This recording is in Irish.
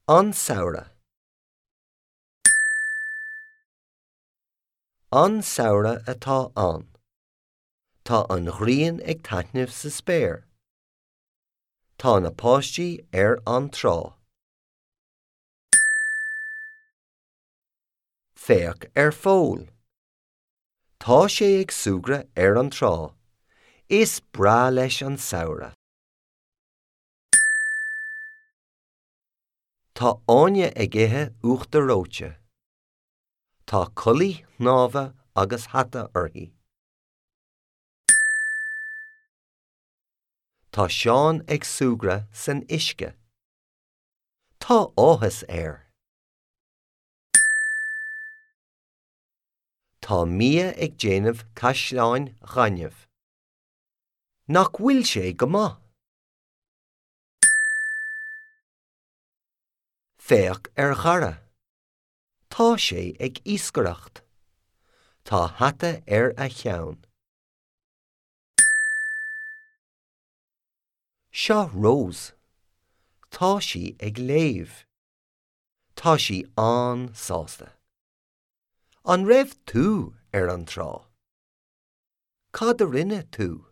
An Samhradh. An samhradh atá ann. Tá an ghrian ag taitneamh sa spéir. Tá na páistí ar an trá. Féach ar Phól. Tá sé ag súgradh ar an trá. Is breá leis an samhradh. Tá Áine ag ithe uachtar reoite. Tá culaith shnámha agus hata uirthi. Tá Seán ag súgradh san uisce. Tá áthas air. Tá Mia ag déanamh caisleáin ghainimh. Nach bhfuil sé go maith? Féach ar Dhara. Tá sé ag iascaireacht. Tá hata ar a cheann. Seo Rose. Tá sí ag léamh. Tá sí an-sásta. An raibh tú ar an trá? Cad a rinne tú?